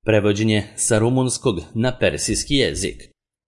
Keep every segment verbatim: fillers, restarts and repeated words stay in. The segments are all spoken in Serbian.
Prevođenje sa rumunskog na persijski jezik.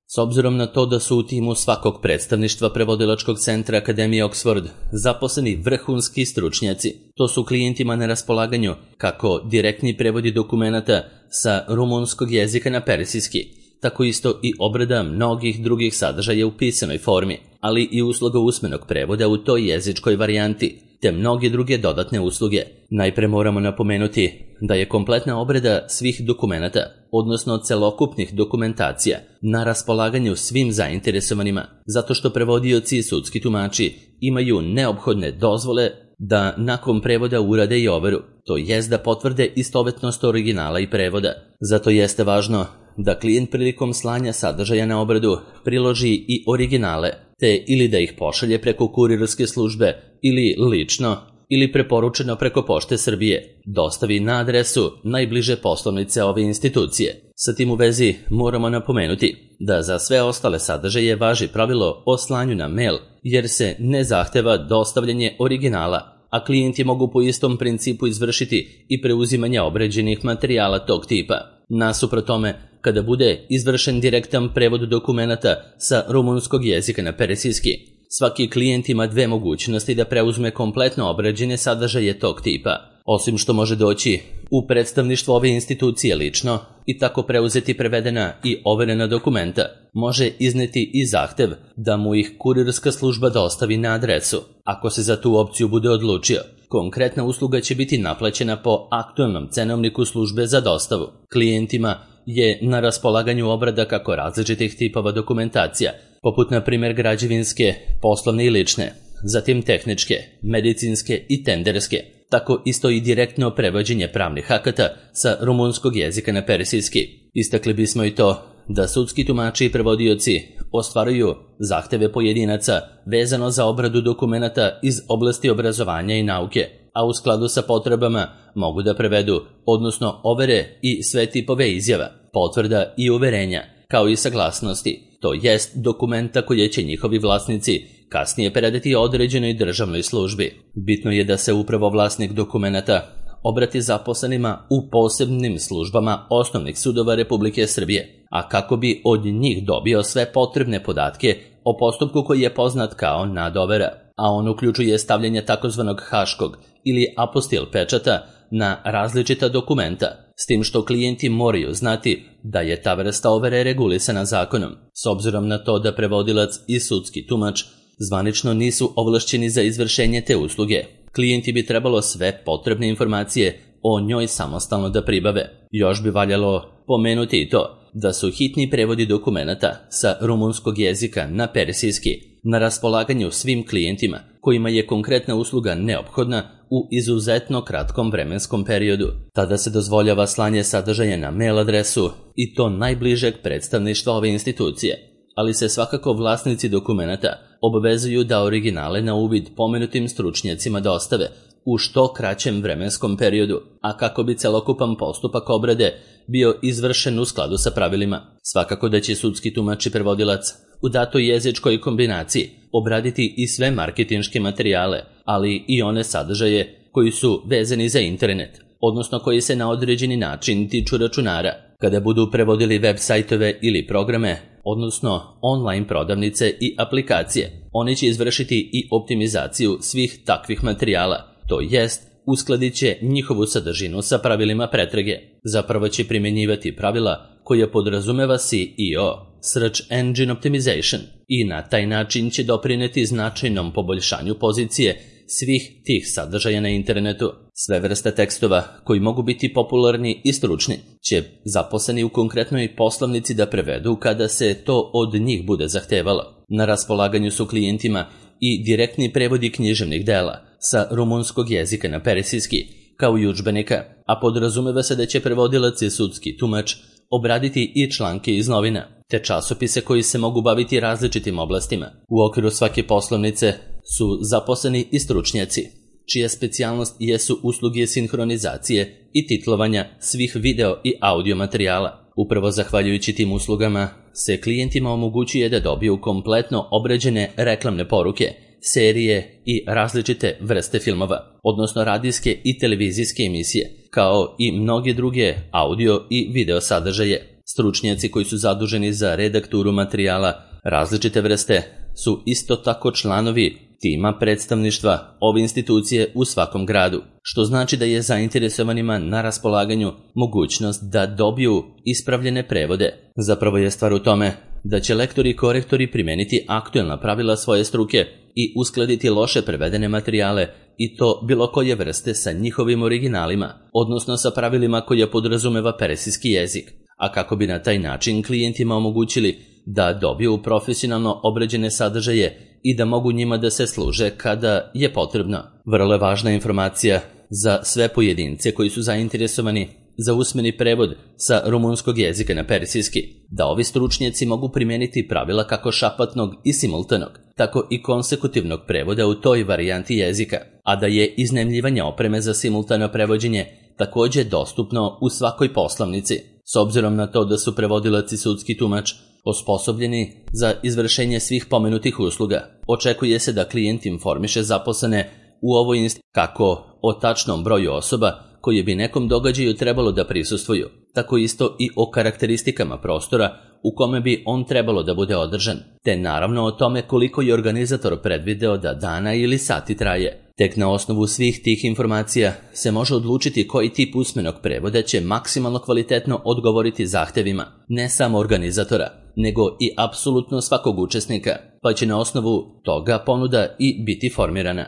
S obzirom na to da su u timu svakog predstavništva prevodilačkog centra Akademije Oxford zaposleni vrhunski stručnjaci, to su klijentima na raspolaganju kako direktni prevodi dokumenata sa rumunskog jezika na persijski, tako isto i obrada mnogih drugih sadržaja u pisanoj formi, ali i usluga usmenog prevoda u toj jezičkoj varijanti, te mnoge druge dodatne usluge. Najpre moramo napomenuti da je kompletna obrada svih dokumenata, odnosno celokupnih dokumentacija, na raspolaganju svim zainteresovanima, zato što prevodioci i sudski tumači imaju neophodne dozvole da nakon prevoda urade i overu, to jest da potvrde istovetnost originala i prevoda. Zato jeste važno da klijent prilikom slanja sadržaja na obradu priloži i originale, te ili da ih pošalje preko kurirske službe ili lično ili preporučeno preko Pošte Srbije, dostavi na adresu najbliže poslovnice ove institucije. Sa tim u vezi moramo napomenuti da za sve ostale sadržaje važi pravilo o slanju na mail, jer se ne zahteva dostavljanje originala, a klijenti mogu po istom principu izvršiti i preuzimanje obrađenih materijala tog tipa. Nasuprot tome, kada bude izvršen direktan prevod dokumenata sa rumunskog jezika na persijski, svaki klijent ima dve mogućnosti da preuzme kompletno obrađene sadržaje tog tipa, osim što može doći u predstavništvo ove institucije lično i tako preuzeti prevedena i overena dokumenta. Može izneti i zahtev da mu ih kurirska služba dostavi na adresu. Ako se za tu opciju bude odlučio, konkretna usluga će biti naplaćena po aktualnom cenovniku službe za dostavu. Klijentima je na raspolaganju obrada kako različitih tipova dokumentacija, poput na primjer građevinske, poslovne i lične, zatim tehničke, medicinske i tenderske, tako isto i direktno prevođenje pravnih akata sa rumunskog jezika na persijski. Istakli bismo i to da sudski tumači i prevodioci ostvaruju zahteve pojedinaca vezano za obradu dokumenata iz oblasti obrazovanja i nauke, a u skladu sa potrebama mogu da prevedu, odnosno overe i sve tipove izjava, potvrda i uverenja, kao i saglasnosti, to jest dokumenta koje će njihovi vlasnici kasnije predati određenoj državnoj službi. Bitno je da se upravo vlasnik dokumenata obrati zaposlenima u posebnim službama osnovnih sudova Republike Srbije, a kako bi od njih dobio sve potrebne podatke o postupku koji je poznat kao nadovera, a on uključuje stavljanje takozvanog haškog ili apostil pečata na različita dokumenta, s tim što klijenti moraju znati da je ta vrsta overe regulisana zakonom, s obzirom na to da prevodilac i sudski tumač zvanično nisu ovlašćeni za izvršenje te usluge. Klijenti bi trebalo sve potrebne informacije o njoj samostalno da pribave. Još bi valjalo pomenuti i to da su hitni prevodi dokumenata sa rumunskog jezika na persijski na raspolaganju svim klijentima kojima je konkretna usluga neophodna u izuzetno kratkom vremenskom periodu. Tada se dozvoljava slanje sadržaja na mail adresu i to najbližeg predstavništva ove institucije, ali se svakako vlasnici dokumenata obavezuju da originale na uvid pomenutim stručnjacima dostave u što kraćem vremenskom periodu, a kako bi celokupan postupak obrade bio izvršen u skladu sa pravilima. Svakako da će sudski tumač i prevodilac u datoj jezičkoj kombinaciji obraditi i sve marketinške materijale, ali i one sadržaje koji su vezani za internet, odnosno koji se na određeni način tiču računara. Kada budu prevodili web sajtove ili programe, odnosno online prodavnice i aplikacije, oni će izvršiti i optimizaciju svih takvih materijala, to jest uskladit će njihovu sadržinu sa pravilima pretrage. Zapravo će primjenjivati pravila koja podrazumeva S E O, Search Engine Optimization, i na taj način će doprineti značajnom poboljšanju pozicije svih tih sadržaja na internetu. Sve vrste tekstova koji mogu biti popularni i stručni će zaposleni u konkretnoj poslovnici da prevedu kada se to od njih bude zahtevalo. Na raspolaganju su klijentima i direktni prevodi književnih dela sa rumunskog jezika na persijski, kao i udžbenika, a podrazumeva se da će prevodilac i sudski tumač obraditi i članke iz novina, te časopise koji se mogu baviti različitim oblastima. U okviru svake poslovnice su zaposleni i stručnjaci, čija specijalnost jesu usluge sinhronizacije i titlovanja svih video i audio materijala. Upravo zahvaljujući tim uslugama se klijentima omogućuje da dobiju kompletno obrađene reklamne poruke, serije i različite vrste filmova, odnosno radijske i televizijske emisije, kao i mnoge druge audio i video sadržaje. Stručnjaci koji su zaduženi za redakturu materijala različite vrste su isto tako članovi tima predstavništva ove institucije u svakom gradu, što znači da je zainteresovanima na raspolaganju mogućnost da dobiju ispravljene prevode. Zapravo je stvar u tome da će lektori i korektori primeniti aktuelna pravila svoje struke i uskladiti loše prevedene materijale i to bilo koje vrste sa njihovim originalima, odnosno sa pravilima koja podrazumeva persijski jezik, a kako bi na taj način klijentima omogućili da dobiju profesionalno obrađene sadržaje i da mogu njima da se služe kada je potrebno. Vrlo je važna informacija za sve pojedince koji su zainteresovani za usmeni prevod sa rumunskog jezika na persijski, da ovi stručnjaci mogu primijeniti pravila kako šapatnog i simultanog, tako i konsekutivnog prevoda u toj varijanti jezika, a da je iznajmljivanje opreme za simultano prevođenje također dostupno u svakoj poslovnici. S obzirom na to da su prevodilac i sudski tumač osposobljeni za izvršenje svih pomenutih usluga, očekuje se da klijent informiše zaposlene u ovoj instituciji kako o tačnom broju osoba koje bi nekom događaju trebalo da prisustvuju, tako isto i o karakteristikama prostora u kome bi on trebalo da bude održan, te naravno o tome koliko je organizator predvideo da dana ili sati traje. Tek na osnovu svih tih informacija se može odlučiti koji tip usmenog prevoda će maksimalno kvalitetno odgovoriti zahtevima ne samo organizatora, nego i apsolutno svakog učesnika, pa će na osnovu toga ponuda i biti formirana.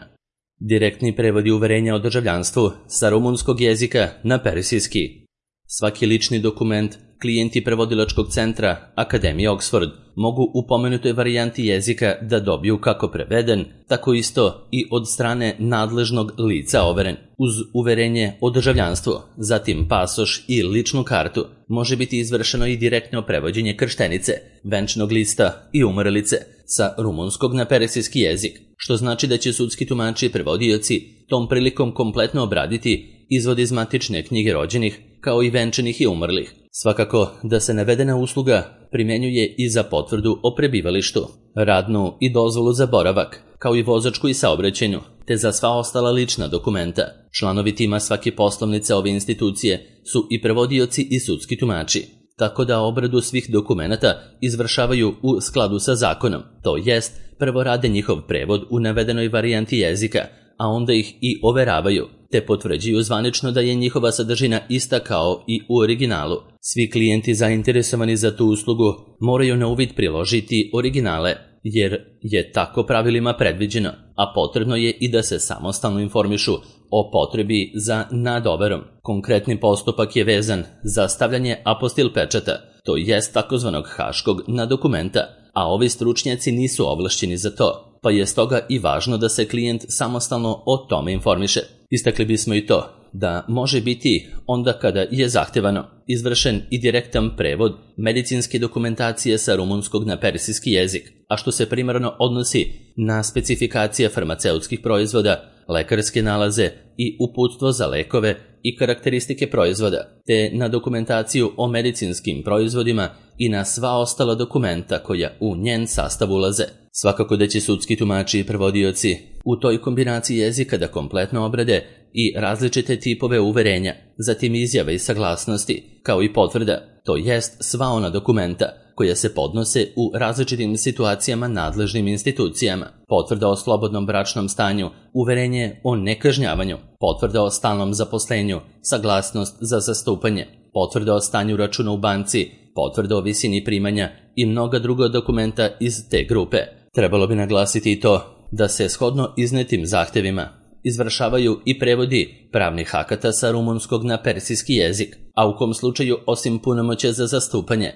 Direktni prevodi uverenja o državljanstvu sa rumunskog jezika na persijski. Svaki lični dokument klijenti prevodilačkog centra Akademije Oxford mogu u pomenutoj varijanti jezika da dobiju kako preveden, tako isto i od strane nadležnog lica overen. Uz uverenje o državljanstvu, zatim pasoš i ličnu kartu, može biti izvršeno i direktno prevođenje krštenice, venčnog lista i umrlice sa rumunskog na persijski jezik, što znači da će sudski tumači i prevodioci tom prilikom kompletno obraditi izvod iz matične knjige rođenih, kao i venčanih i umrlih. Svakako da se navedena usluga primjenjuje i za potvrdu o prebivalištu, radnu i dozvolu za boravak, kao i vozačku i saobraćajnu, te za sva ostala lična dokumenta. Članovi tima svake poslovnice ove institucije su i prevodioci i sudski tumači, tako da obradu svih dokumenata izvršavaju u skladu sa zakonom, to jest prvo rade njihov prevod u navedenoj varijanti jezika, a onda ih i overavaju, te potvrđuju zvanično da je njihova sadržina ista kao i u originalu. Svi klijenti zainteresovani za tu uslugu moraju na uvid priložiti originale, jer je tako pravilima predviđeno, a potrebno je i da se samostalno informišu o potrebi za nadoverom. Konkretni postupak je vezan za stavljanje apostil pečata, to jest takozvanog haškog na dokumenta, a ovi stručnjaci nisu ovlašćeni za to, pa je stoga i važno da se klijent samostalno o tome informiše. Istakli bismo i to da može biti onda kada je zahtevano izvršen i direktan prevod medicinske dokumentacije sa rumunskog na persijski jezik, a što se primarno odnosi na specifikacije farmaceutskih proizvoda, lekarske nalaze i uputstvo za lekove i karakteristike proizvoda, te na dokumentaciju o medicinskim proizvodima i na sva ostala dokumenta koja u njen sastav ulaze. Svakako da će sudski tumači i prevodioci u toj kombinaciji jezika da kompletno obrade i različite tipove uverenja, zatim izjave i saglasnosti, kao i potvrda, to jest sva ona dokumenta koja se podnose u različitim situacijama nadležnim institucijama, potvrda o slobodnom bračnom stanju, uverenje o nekažnjavanju, potvrda o stalnom zaposlenju, saglasnost za zastupanje, potvrda o stanju računa u banci, potvrda o visini primanja i mnoga druga dokumenta iz te grupe. Trebalo bi naglasiti i to da se shodno iznetim zahtevima izvršavaju i prevodi pravnih akata sa rumunskog na persijski jezik, a u kom slučaju osim punomoćja za zastupanje,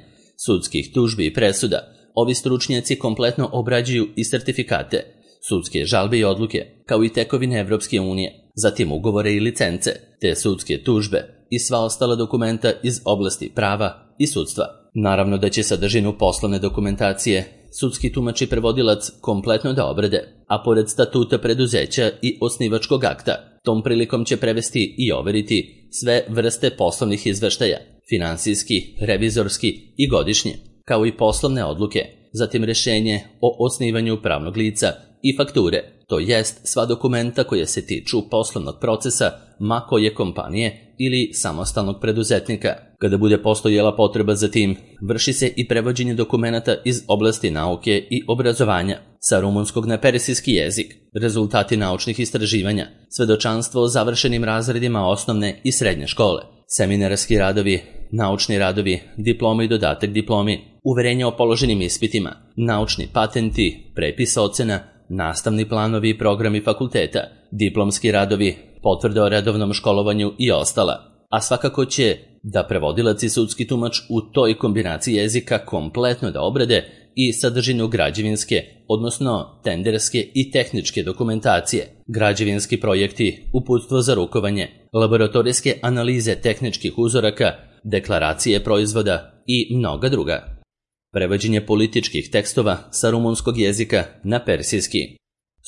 sudskih tužbi i presuda, ovi stručnjaci kompletno obrađuju i sertifikate, sudske žalbe i odluke, kao i tekovine Evropske unije, zatim ugovore i licence, te sudske tužbe i sva ostala dokumenta iz oblasti prava i sudstva. Naravno da će sadržinu poslovne dokumentacije sudski tumač i prevodilac kompletno da obrade, a pored statuta preduzeća i osnivačkog akta, tom prilikom će prevesti i overiti sve vrste poslovnih izveštaja, finansijski, revizorski i godišnje, kao i poslovne odluke, zatim rešenje o osnivanju pravnog lica i fakture, to jest sva dokumenta koja se tiču poslovnog procesa ma koje kompanije ili samostalnog preduzetnika. Kada bude postojala potreba za tim, vrši se i prevođenje dokumenata iz oblasti nauke i obrazovanja sa rumunskog na persijski jezik, rezultati naučnih istraživanja, svedočanstvo o završenim razredima osnovne i srednje škole, seminarski radovi, naučni radovi, diplome i dodatak diplomi, uverenja o položenim ispitima, naučni patenti, prepis ocena, nastavni planovi i programi fakulteta, diplomski radovi, potvrde o redovnom školovanju i ostala. A svakako će da prevodilac i sudski tumač u toj kombinaciji jezika kompletno da obrade i sadržinu građevinske, odnosno tenderske i tehničke dokumentacije, građevinski projekti, uputstvo za rukovanje, laboratorijske analize tehničkih uzoraka, deklaracije proizvoda i mnoga druga. Prevođenje političkih tekstova sa rumunskog jezika na persijski.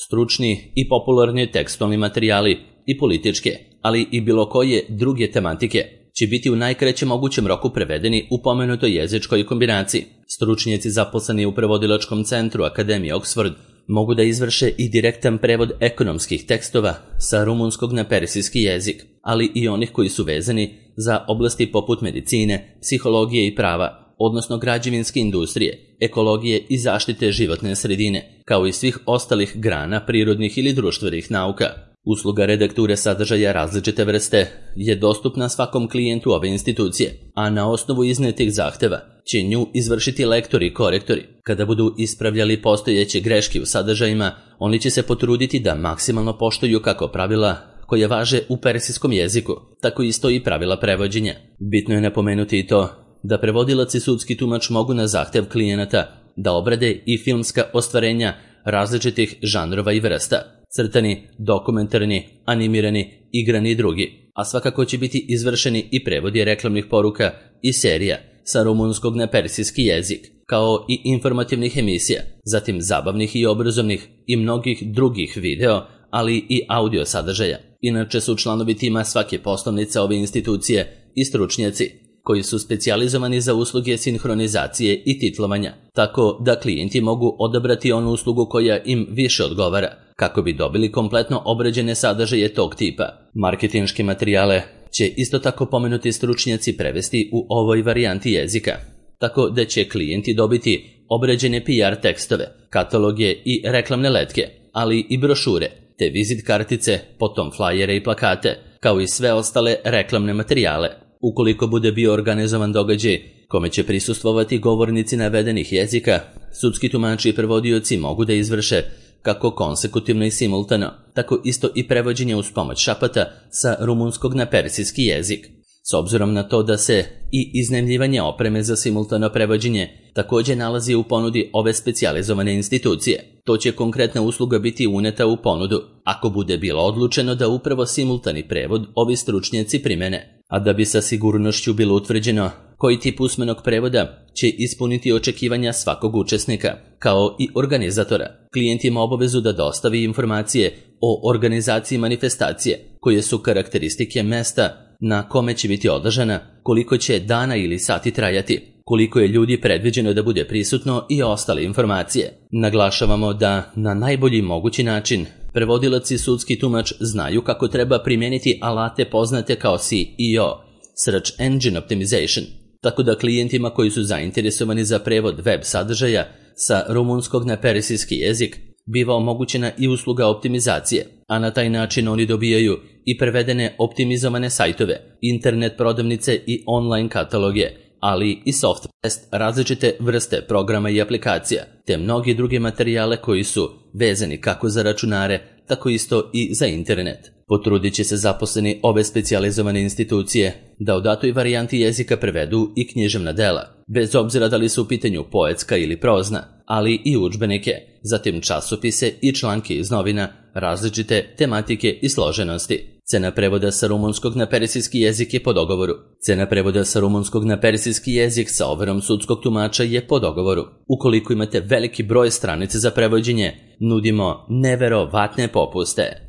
Stručni i popularni tekstualni materijali i političke, ali i bilo koje druge tematike će biti u najkraćem mogućem roku prevedeni u pomenutoj jezičkoj kombinaciji. Stručnjaci zaposleni u prevodilačkom centru Akademije Oxford mogu da izvrše i direktan prevod ekonomskih tekstova sa rumunskog na persijski jezik, ali i onih koji su vezani za oblasti poput medicine, psihologije i prava, odnosno građevinske industrije, ekologije i zaštite životne sredine, kao i svih ostalih grana prirodnih ili društvenih nauka. Usluga redakture sadržaja različite vrste je dostupna svakom klijentu ove institucije, a na osnovu iznetih zahteva će nju izvršiti lektori i korektori. Kada budu ispravljali postojeće greške u sadržajima, oni će se potruditi da maksimalno poštuju kako pravila koja važe u persijskom jeziku, tako isto i pravila prevođenja. Bitno je napomenuti i to da prevodilac i sudski tumač mogu na zahtev klijenata da obrade i filmska ostvarenja različitih žanrova i vrsta, crtani, dokumentarni, animirani, igrani i drugi, a svakako će biti izvršeni i prevodi reklamnih poruka i serija sa rumunskog na persijski jezik, kao i informativnih emisija, zatim zabavnih i obrazovnih i mnogih drugih video, ali i audio sadržaja. Inače su članovi tima svake poslovnice ove institucije i stručnjaci koji su specijalizovani za usluge sinhronizacije i titlovanja, tako da klijenti mogu odabrati onu uslugu koja im više odgovara, kako bi dobili kompletno obrađene sadržaje tog tipa. Marketinške materijale će isto tako pomenuti stručnjaci prevesti u ovoj varijanti jezika, tako da će klijenti dobiti obrađene P R tekstove, kataloge i reklamne letke, ali i brošure, te vizit kartice, potom flajere i plakate, kao i sve ostale reklamne materijale. Ukoliko bude bio organizovan događaj kome će prisustvovati govornici navedenih jezika, sudski tumači i prevodioci mogu da izvrše kako konsekutivno i simultano, tako isto i prevođenje uz pomoć šapata sa rumunskog na persijski jezik. S obzirom na to da se i iznajmljivanje opreme za simultano prevođenje također nalazi u ponudi ove specijalizovane institucije, to će konkretna usluga biti uneta u ponudu, ako bude bilo odlučeno da upravo simultani prevod ovi stručnjaci primene. A da bi sa sigurnošću bilo utvrđeno koji tip usmenog prevoda će ispuniti očekivanja svakog učesnika, kao i organizatora, klijent ima obavezu da dostavi informacije o organizaciji manifestacije, koje su karakteristike mesta na kome će biti održana, koliko će dana ili sati trajati, koliko je ljudi predviđeno da bude prisutno i ostale informacije. Naglašavamo da na najbolji mogući način prevodilac i sudski tumač znaju kako treba primijeniti alate poznate kao S E O, Search Engine Optimization, tako da klijentima koji su zainteresovani za prevod web sadržaja sa rumunskog na persijski jezik biva omogućena i usluga optimizacije, a na taj način oni dobijaju i prevedene optimizovane sajtove, internet prodavnice i online kataloge, ali i software, različite vrste programa i aplikacija, te mnogi druge materijale koji su vezani kako za računare, tako isto i za internet. Potrudit će se zaposleni ove specijalizovane institucije da u datoj varijanti jezika prevedu i književna dela, bez obzira da li su u pitanju poetska ili prozna, ali i udžbenike, zatim časopise i članke iz novina, različite tematike i složenosti. Cena prevoda sa rumunskog na persijski jezik je po dogovoru. Cena prevoda sa rumunskog na persijski jezik sa overom sudskog tumača je po dogovoru. Ukoliko imate veliki broj stranice za prevođenje, nudimo neverovatne popuste.